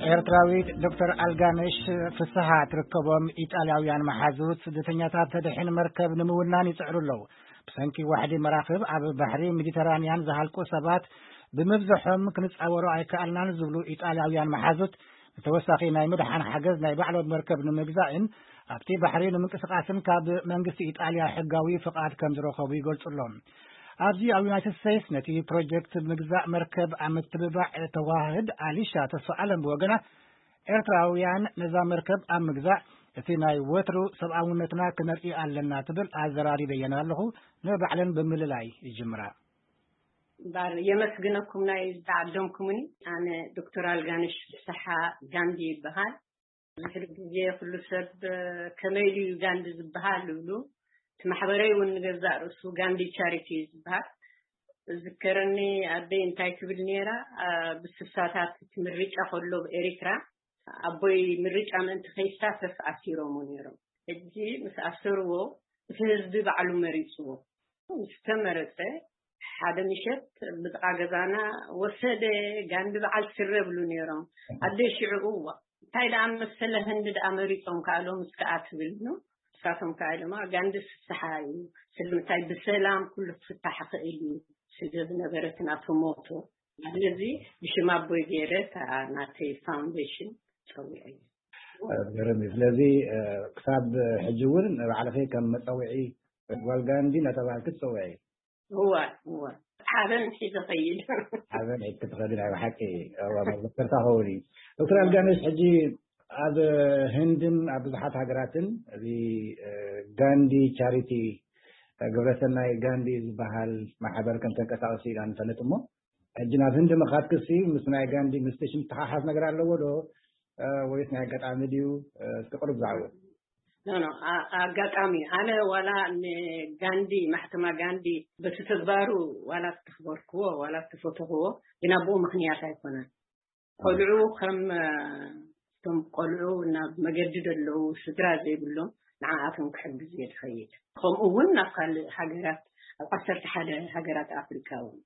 ኤርትራዊት ዶክተር ኣልጋነሽ ፍስሃ ትርከቦም ኢጣልያውያን መሓዙት ስደተኛታት ተድሕን መርከብ ንምውናን ይጽዕሩ ኣለዉ። ብሰንኪ ዋሕዲ መራኽብ ኣብ ባሕሪ ሜዲተራንያን ዝሃልቁ ሰባት ብምብዝሖም ክንጻወሮ ኣይከኣልናን ዝብሉ ኢጣልያውያን መሓዙት፣ ንተወሳኺ ናይ ምድሓን ሓገዝ ናይ ባዕሎም መርከብ ንምግዛእን ኣብቲ ባሕሪ ንምንቅስቓስን ካብ መንግስቲ ኢጣልያ ሕጋዊ ፍቓድ ከም ዝረኸቡ ይገልጹ ኣለዉ። ኣብዚ ኣብ ዩናይትድ ስቴትስ ነቲ ፕሮጀክት ምግዛእ መርከብ ኣብ ምትብባዕ ተዋህድ ኣሊሻ ተስፋ ኣለም ብወገና፣ ኤርትራውያን ነዛ መርከብ ኣብ ምግዛእ እቲ ናይ ወትሩ ሰብኣውነትና ክነርኢ ኣለና ትብል ኣዘራሪበየን ኣለኹ። ንባዕለን ብምልላይ ይጅምራ። እምበኣር የመስግነኩም ናይ ዝተዓደምኩምኒ። ኣነ ዶክተር ኣልጋነሽ ፍስሓ ጋንዲ ይበሃል። ድሕሪ ግዜ ኩሉ ሰብ፣ "ከመይ ድዩ ጋንዲ ዝበሃል?" ይብሉ። እቲ ማሕበረይ እውን ንገዛእ ርእሱ ጋንዲ ቻሪቲ እዩ ዝበሃል። ዝከረኒ ኣደይ እንታይ ትብል ነይራ፣ ኣ፣ ብስሳታት እቲ ምርጫ ከሎ ብኤሪትራ ኣቦይ ምርጫ ምእንቲ ከይሳተፍ ኣሲሮምዎ ነይሮም። ሕጂ ምስ ኣሰርዎ እቲ ህዝቢ ባዕሉ መሪጽዎ። ምስ ተመረጸ ሓደ ምሸት ብጥቓ ገዛና ወሰደ። ጋንዲ በዓል ስረ ብሉ ነይሮም። ኣደ ሽዑ፣ "እዋ፣ እንታይ ደኣ መሰለ፣ ህንዲ ደኣ መሪጾም ከኣ ሎምስ ከኣ" ትብል ነው። ንሳቶም ከኣ ኢሎማ፣ "ጋንዲ ፍስሓ እዩ፣ ስለምንታይ ብሰላም ኩሉ ክፍታሕ ይኽእል እዩ ስለ ዝነበረ እቲ ናቱ ሞቶ። ስለዚ ብሽም ኣቦይ ገይረ እታ ናተይ ፋውንዴሽን ጸዊዐ እዩ." እ፣ ገርም እዩ። ስለዚ፣ እ፣ ክሳብ ሕጂ እውን ንባዕልኺ ከም መጸውዒ ጓል ጋንዲ እናተባህልኪ ትጸውዒ? እወ፣ እወ። ሓበን ሒዘ ኸይድ። ሓበን ሒዝኪ ትኸዲ ናይ ብሓቂ፣ እወ፣ መዘከርታ ኸውን እዩ። ዶክተር ኣልጋነሽ፣ ሕጂ ኣብ ህንድን ኣብ ብዙሓት ሃገራትን እዚ፣ እ፣ ጋንዲ ቻሪቲ፣ እ፣ ግብረሰናይ ጋንዲ ዝበሃል ማሕበር ከም ተንቀሳቕሲ ኢና ንፈልጥ እሞ፣ ሕጂ ናብ ህንዲ ምኻድክሲ ምስ ናይ ጋንዲ፣ ምስቲ ሽም ተሓሓዝ ነገር ኣለዎ ዶ? እ፣ ወይስ ናይ ኣጋጣሚ ድዩ? እ፣ እስኪ ቅሩብ ዛዕባ። ኖ፣ ኖ፣ ኣ-፣ ኣጋጣሚ። ኣነ ዋላ ንጋንዲ፣ ማሕተማ ጋንዲ በቲ ተግባሩ ዋላ ዝተኽበርክዎ፣ ዋላ ዝተፈተኽዎ፣ ግን ኣብኡ ምኽንያት ኣይኮነን። ቆልዑ ከም፣ እ፣ እቶም ቆልዑ ናብ መገዲ ዘለዉ ስድራ ዘይብሎም ንዓኣቶም ክሕግዝ እየ ዝኸይድ። ከምኡ እውን ናብ ካልእ ሃገራት፣ ኣብ ዓሰርተ ሓደ ሃገራት ኣፍሪካ እውን።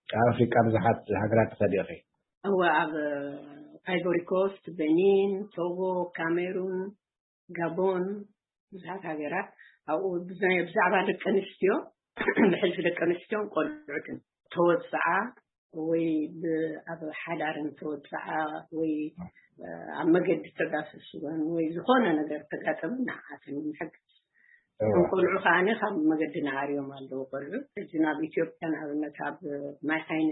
ኣብ ኣፍሪቃ ብዙሓት ሃገራት ትኸዲ ኢኺ? እወ፣ ኣብ ኣይቮሪ ኮስት፣ በኒን፣ ቶጎ፣ ካሜሩን፣ ጋቦን፣ ብዙሓት ሃገራት። ኣብኡ ብዛ-፣ ብዛዕባ ደቂ ኣንስትዮ፣ ብሕልፊ ደቂ ኣንስትዮን ቆልዑትን ተወፅዓ ወይ ብ-፣ ኣብ ሓዳርን ተወፅዓ ወይ፣ እ፣ ኣብ መገዲ ተጋሰስወን ወይ ዝኾነ ነገር ተጋጠመ፣ ንዓኣተን ንሕግዝ። እዋ። እቶም ቆልዑ ከዓኒ ካብ መገዲ ነዓርዮም ኣለዉ ቆልዑ። ሕጂ ናብ ኢትዮጵያ ንኣብነት ኣብ ማይ ዓይኒ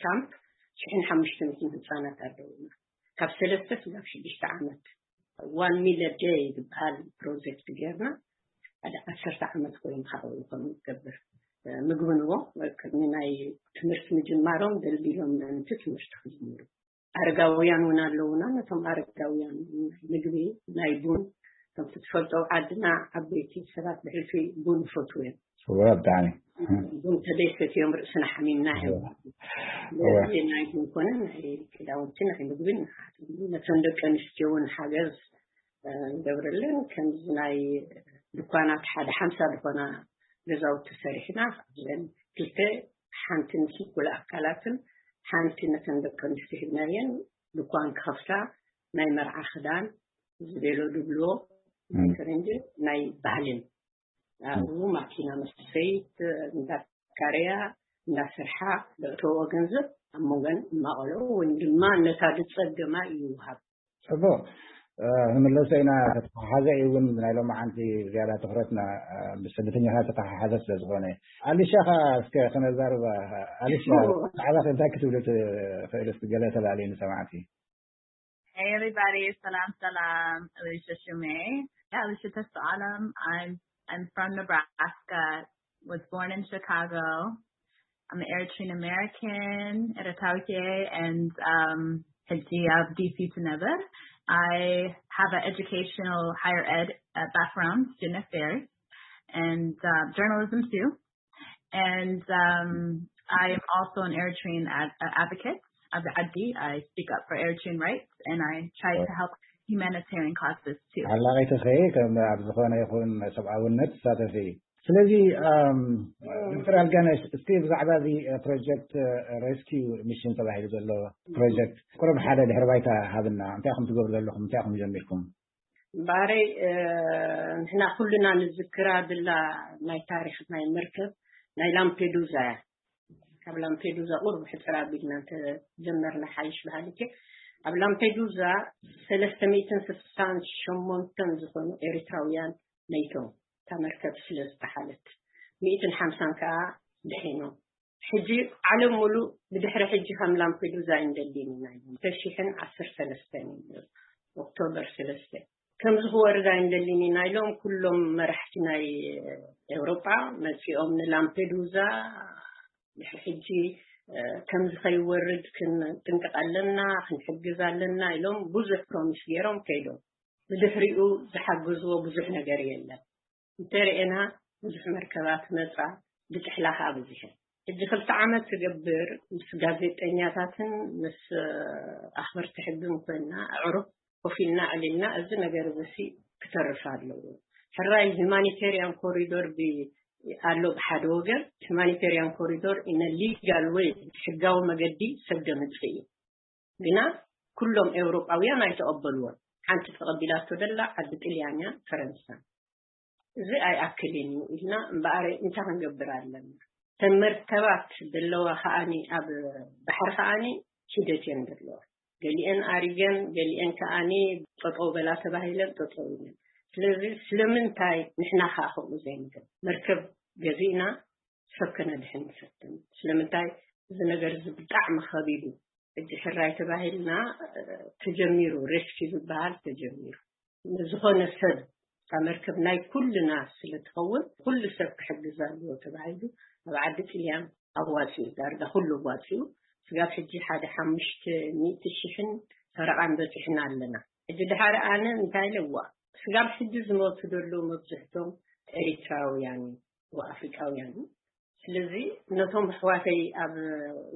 ካምፕ ሽሕን ሓሙሽተ ሚእትን ህፃናት ኣለዉና። ካብ ሰለስተ ክሳብ ሽዱሽተ ዓመት። ዋን ሚል ዴይ ዝበሃል ፕሮጀክት ጌርና፣ ሓደ ዓሰርተ ዓመት ኮይኑ ካብኡ ከም ንገብር፣ እ፣ ምግቢ ንቦ ቅድሚ ናይ ትምህርቲ ምጅማሮም ደልዲሎም ምእንቲ ትምህርቲ ክጅምሩ። ኣረጋውያን እውን ኣለዉና። ነቶም ኣረጋውያን ናይ ምግቢ፣ ናይ ቡን፣ ከምቲ ትፈልጦ ኣብ ዓድና ዓበይቲ ሰባት ብሕልፊ ቡን ይፈትዉ እዮም። እወ፣ ብጣዕሚ። ቡን ተደይሰትዮም ርእስና ሓሚምና እዮም። እወ። ስለዚ ናይ ቡን ኮነ ናይ ክዳውንቲ፣ ናይ ምግቢ ንዓት ነተን ደቂ ኣንስትዮ እውን ሓገዝ፣ እ፣ ንገብረለን። ከምዚ ናይ ድኳናት ሓደ ሓምሳ ዝኾና ገዛውቲ ሰሪሕና፣ ካብዘን ክልተ ሓንቲ ንስንኩል ኣካላትን ሓንቲ ነተን ደቂ ኣንስትዮ ሂብናየን ድኳን ክኸፍታ ናይ መርዓ ክዳን፣ እዚ ቤሎ ድብልዎ፣ ናይ እም። ፈረንጂ፣ ናይ ባህልን። ኣብኡ ማኪና መስተሰይት እንዳካረያ፣ እንዳሰርሓ፣ ዘእተዎ ገንዘብ ኣብ መንገን እማቐለዎ ወይም ድማ ነታ ዝጸገማ ይውሃብ። ጽቡቕ። እ፣ ንምለሶ ኢና፣ ተተሓሓዘ እዩ እውን ናይ ሎማዓንቲ ዝያዳ ትኹረትና፣ እ፣ ምስ ስደተኛታት ተተሓሓዘ ስለ ዝኾነ። ኣሊሻ ኸ እስከ ክነዛርባ፣ ኣሊሻ፣ እዎ። ብዛዕባ እንታይ ክትብሉ ትኽእሉ እስኪ ገለ ተላልዩ ንሰማዕቲ? Hey everybody, ሰላም ሰላም፣ ኣሊሻ ሽሜ። Yeah, ኣሊሻ ተስፋኣለም። I'm I'm from Nebraska, was born in Chicago. I'm an Eritrean American, Eritrea, and um ሕጂ ኣብ D C ትነብር። I have an educational higher ed uh, background, student affairs, and uh, journalism too. And um, I am also an Eritrean ad- uh, advocate. ኣብ ዓዲ, I speak up for Eritrean rights and I try to help humanitarian causes too. ሓላቒትኺ ከም ኣብ ዝኾነ ይኹን ሰብኣውነት ትሳተፊ? ስለዚ ዶክተር ኣልጋነሽ፣ እስቲ ብዛዕባ እዚ ፕሮጀክት ሬስኪው ሚሽን ተባሂሉ ዘሎ ፕሮጀክት ቁሩብ ሓደ ድሕሪ ባይታ ሃብና። እንታይ ኢኹም ትገብሩ ዘለኹም? እንታይ ኢኹም ጀሚርኩም? ባረይ፣ ንሕና ኩልና ንዝክራ ድላ ናይ ታሪክ ናይ መርከብ ናይ ላምፔዱዛ እያ። ካብ ላምፔዱዛ ቁሩብ ሕፅር ኣቢልና እንተጀመርና ሓይሽ በሃሊት። ኣብ ላምፔዱዛ ሰለስተ ሚእትን ስሳን ሸሞንተን ዝኾኑ ኤርትራውያን መይቶም፣ እታ መርከብ ስለ ዝተሓለት፣ ሚእትን ሓምሳን ከዓ ድሒኖም። ሕጂ ዓለም ሙሉእ ብድሕሪ ሕጂ ከም ላምፔዱዛ ኣይንደልን ኢና ኢሎም። ተሽሕን ዓሰርተ ሰለስተን እዩ፣ ኦክቶበር ሰለስተ። ከምዚ ክወርድ ኣይንደልን ኢና ኢሎም ኩሎም መራሕቲ ናይ ኤውሮጳ መጺኦም ንላምፔዱዛ። ድሕሪ ሕጂ ከምዚ ከይወርድ ክንጥንቀቕ ኣለና፣ ክንሕግዝ ኣለና ኢሎም ብዙሕ ፕሮሚስ ገይሮም ከይዶም። ብድሕሪኡ ዝሓግዝዎ ብዙሕ ነገር የለን። እንተርኤና ብዙሕ መርከባት መጻ፣ ብጥሕላ ከዓ ብዝሕን። ሕጂ ክልተ ዓመት ትገብር ምስ ጋዜጠኛታትን ምስ ኣኽበርቲ ሕግን ኮይና ኣዕሩኽ ኮፍ ኢልና ኣዕሊልና፣ እዚ ነገር እዚ ሲ ክተርፍ ኣለዎ። ሕራይ ሂማኒቴሪያን ኮሪዶር ኣሎ ብሓደ ወገን፣ ሂማኒቴሪያን ኮሪዶር ኢነ ሊጋል ወይ ሕጋዊ መገዲ ሰብ ደምጽእ እዩ። ግና ኩሎም ኤውሮጳውያን ኣይተቐበልዎን። ሓንቲ ተቐቢላቶ ደላ ዓዲ ጥልያንያ፣ ፈረንሳ። እዚ ኣይኣክልን እዩ ኢልና እምበኣር እንታይ ክንገብር ኣለና? ተን መርከባት ዘለዋ ከኣኒ ኣብ ባሕሪ ከኣኒ ሂደት እየን ዘለዋ። ገሊአን ኣሪገን፣ ገሊአን ከኣኒ ጠጠው በላ ተባሂለን ጠጠው ኢለን። ስለዚ ስለምንታይ ንሕና ከኣ ከምኡ ዘይንገብር? መርከብ ገዚእና ሰብ ከነድሕን ንፈትን። ስለምንታይ? እዚ ነገር እዚ ብጣዕሚ ከቢድ እዩ። ሕጂ ሕራይ ተባሂልና ተጀሚሩ፣ ሬስኪ ዝበሃል ተጀሚሩ። ንዝኾነ ሰብ እታ መርከብ ናይ ኩልና ስለ ትኸውን ኩሉ ሰብ ክሕግዝ ኣለዎ ተባሂሉ ኣብ ዓዲ ጥልያን ኣዋፂኡ፣ ዳርጋ ኩሉ ኣዋፂኡ። ስጋብ ሕጂ ሓደ ሓሙሽተ ሚእቲ ሽሕን ፈረቓን በፂሕና ኣለና። ሕጂ ድሓር ኣነ እንታይ ኢለ፣ እዋ ስጋብ ሕጂ ዝሞቱ ዘለዉ መብዝሕቶም ኤሪትራውያን እዩ፣ ኣፍሪቃውያን እዩ። ስለዚ ነቶም ኣሕዋተይ ኣብ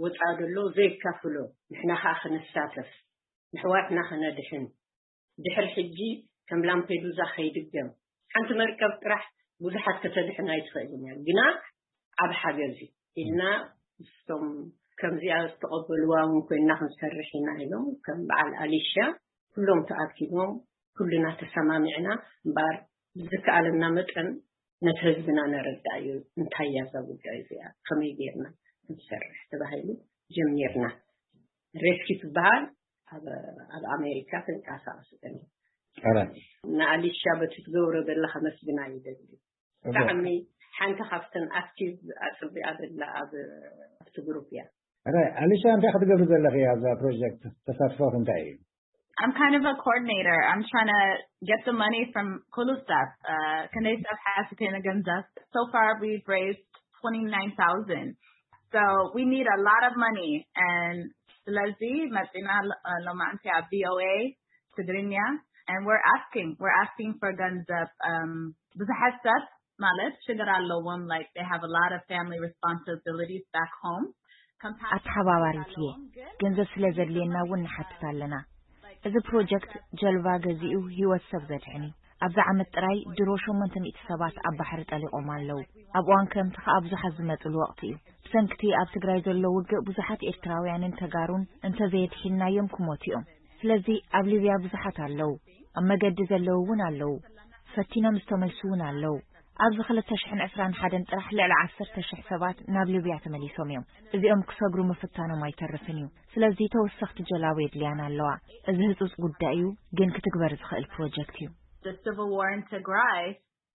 ወፃኢ ዘለዉ ዘይካፍሎ፣ ንሕና ከዓ ክንሳተፍ፣ ንሕዋትና ክነድሕን፣ ድሕሪ ሕጂ ከም ላምፔዱዛ ከይድገም። ሓንቲ መርከብ ጥራሕ ብዙሓት ከተድሕን ኣይትኽእልን እያ፣ ግና ዓብ ሓገዝ እዩ ኢልና ምስቶም ከምዚኣ ዝተቐበልዋ እውን ኮይና ክንሰርሕ ኢና ኢሎም ከም በዓል ኣሊሻ ኩሎም ተኣኪቦም ኩልና ተሰማሚዕና እምበኣር ብዝከኣለና መጠን ነቲ ህዝብና ነረዳእዮ እንታይ እያ እዛ ጉዳይ እዚኣ ከመይ ጌርና ክንሰርሕ ተባሂሉ ጀሚርና። ሬስኪ ትበሃል ኣብ ኣሜሪካ ትንቀሳቐስ። ንኣሊሻ በቲ ትገብሮ ዘላ ከመስግና ይደሊ። ብጣዕሚ ሓንቲ ካብተን ኣክቲቭ ኣፅቢኣ ዘላ ኣብ ኣብቲ ግሩፕ እያ። ኣሊሻ እንታይ ክትገብሪ ዘለኺ ኣብዛ ፕሮጀክት? ተሳትፎ እንታይ እዩ? I'm kind of a coordinator. I'm trying to get the money from ኩሉ ሰብ ክንደይ ሰብ ሓሲተ ንገንዘብ። So far we've raised twenty-nine thousand. So we need a lot of money and ስለዚ መፂና ሎማዕንቲ ኣብ VOA ትግርኛ and we're asking, we're asking for ገንዘብ። ብዙሓት ሰብ ማለት ሽግር ኣለዎም, like they have a lot of family responsibilities back home. ኣተሓባባሪት እየ። ገንዘብ ስለ ዘድልየና እውን ንሓትት ኣለና። እዚ ፕሮጀክት ጀልባ ገዚኡ ህይወት ሰብ ዘድሕን እዩ። ኣብዚ ዓመት ጥራይ ድሮ ሸሞንተ ሚእቲ ሰባት ኣብ ባሕሪ ጠሊቖም ኣለዉ። ኣብ እዋን ክረምቲ ከኣ ብዙሓት ዝመጽሉ ወቕቲ እዩ። ብሰንክቲ ኣብ ትግራይ ዘሎ ውግእ ብዙሓት ኤርትራውያንን ተጋሩን እንተዘየድሒንናዮም ክሞቱ እዮም። ስለዚ ኣብ ሊብያ ብዙሓት ኣለዉ። ኣብ መገዲ ዘለዉ እውን ኣለዉ። ፈቲኖም ዝተመልሱ እውን ኣለዉ። ኣብዚ ክልተ ሽሕን ዕስራን ሓደን ጥራሕ ልዕሊ ዓሰርተ ሽሕ ሰባት ናብ ሊብያ ተመሊሶም እዮም። እዚኦም ክሰግሩ ምፍታኖም ኣይተርፍን እዩ። ስለዚ ተወሰኽቲ ጀላቡ የድልያና ኣለዋ። እዚ ህጹጽ ጉዳይ እዩ፣ ግን ክትግበር ዝኽእል ፕሮጀክት እዩ። The civil war in Tigray,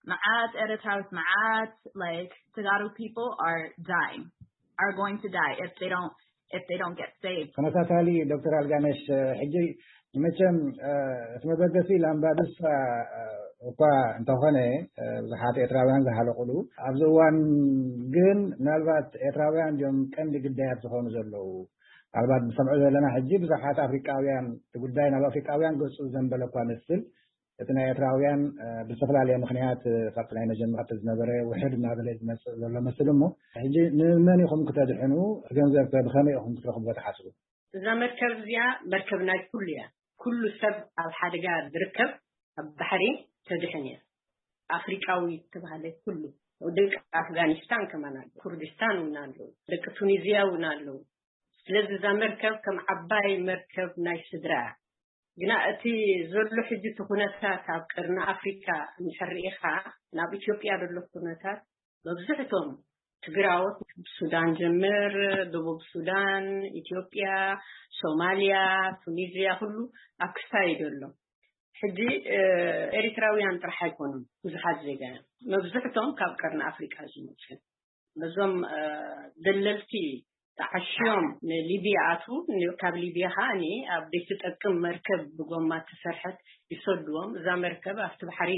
መዓት ኤርትራዊት መዓት like Tagaru people are dying, are going to die if they don't if they don't get saved. ተመሳሳሊ ዶክተር ኣልጋነሽ፣ ሕጂ መቸም እቲ መበገሲ ላምባዱሳ እኳ እንተኾነ ብዙሓት ኤርትራውያን ዝሃለቑሉ ኣብዚ እዋን ግን ምናልባት ኤርትራውያን እዮም ቀንዲ ግዳያት ዝኾኑ ዘለዉ። ምናልባት ዝሰምዑ ዘለና ሕጂ ብዙሓት ኣፍሪቃውያን እቲ ጉዳይ ናብ ኣፍሪቃውያን ገጹ ዘንበለ እኳ መስል እቲ ናይ ኤርትራውያን ብዝተፈላለየ ምኽንያት ካብቲ ናይ መጀመርታ ዝነበረ ውሕድ እናበለ ዝመፅእ ዘሎ መስል እሞ ሕጂ ንመን ኢኹም ክተድሕኑ? ገንዘብ ከ ብኸመይ ኢኹም ክትረኽቡ ትሓስቡ? እዛ መርከብ እዚኣ መርከብ ናይ ኩሉ እያ። ኩሉ ሰብ ኣብ ሓደጋ ዝርከብ ኣብ ባሕሪ ተድሕን እያ። ኣፍሪቃዊ ዝተባህለ ኩሉ ደቂ ኣፍጋኒስታን ከማን ኣሎ፣ ኩርዲስታን እውን ኣሎ፣ ደቂ ቱኒዝያ እውን ኣሎ። ስለዚ እዛ መርከብ ከም ዓባይ መርከብ ናይ ስድራ እያ። ግና እቲ ዘሎ ሕጂ እቲ ኩነታት ኣብ ቀርኒ ኣፍሪካ እንድሕር ርኢኻ፣ ናብ ኢትዮጵያ ዘሎ ኩነታት መብዝሕቶም ትግራዎት፣ ሱዳን ጀምር፣ ደቡብ ሱዳን፣ ኢትዮጵያ፣ ሶማልያ፣ ቱኒዝያ፣ ኩሉ ኣብ ክስታይ ዘሎ። ሕጂ ኤሪትራውያን ጥራሕ ኣይኮኑን፣ ብዙሓት ዜጋ እዮም። መብዝሕቶም ካብ ቀርኒ ኣፍሪቃ ዝመፁ። ነዞም ደለልቲ ተዓሽዮም ንሊብያ ኣትዉ፣ ካብ ሊብያ ከዓ ኣብ ዘይትጠቅም መርከብ ብጎማ እተሰርሐት ይሰድዎም። እዛ መርከብ ኣብቲ ባሕሪ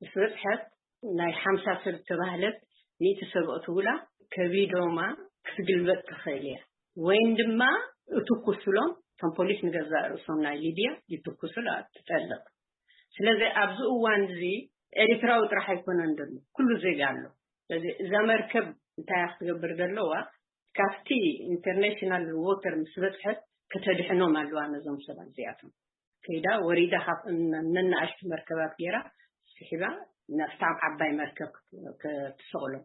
ምስ በፅሐት፣ ናይ ሓምሳ ሰብ ተባህለት፣ ሚእቲ ሰብ ኣእትውላ፣ ከቢዶማ ክትግልበጥ ትኽእል እያ። ወይን ድማ እትኩስሎም፣ እቶም ፖሊስ ንገዛእ ርእሶም ናይ ሊብያ ይትኩሱላ፣ ትጠልቕ። ስለዚ ኣብዚ እዋን እዚ ኤሪትራዊ ጥራሕ ኣይኮነን ዘሎ፣ ኩሉ ዜጋ ኣሎ። ስለዚ እዛ መርከብ እንታይ ክትገብር ዘለዋ፣ ካብቲ ኢንተርናሽናል ዎተር ምስ በፅሐት ከተድሕኖም ኣለዋ ነዞም ሰባት እዚኣቶም። ከይዳ ወሪዳ ካብ ነናእሽቱ መርከባት ገይራ ስሒባ ናብታ ዓባይ መርከብ ክትሰቕሎም።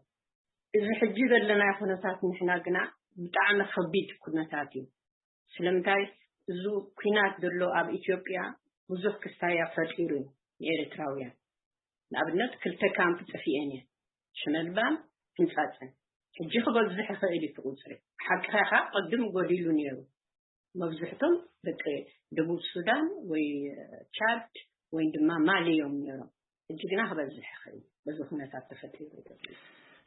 እዚ ሕጂ ዘለናዮ ኩነታት ንሕና ግና ብጣዕሚ ከቢድ ኩነታት እዩ። ስለምንታይ? እዚ ኩናት ዘሎ ኣብ ኢትዮጵያ ብዙሕ ክስታያ ፈጢሩ እዩ ንኤርትራውያን። ንኣብነት ክልተ ካምፕ ጠፊኤን እየን፣ ሽመልባን ሕንጻጽን። ሕጂ ክበዝሕ ይኽእል እዩ እቲ ቁፅሪ። ሓቅኻ ኢኻ፣ ቅድም ጎዲሉ ነይሩ። መብዝሕቶም ደቂ ደቡብ ሱዳን ወይ ቻድ ወይ ድማ ማሊ እዮም ነይሮም። ሕጂ ግና ክበዝሕ ይኽእል እዩ፣ በዚ ኩነታት ተፈጢሩ።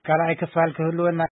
ካልኣይ ክፋል ክህልወና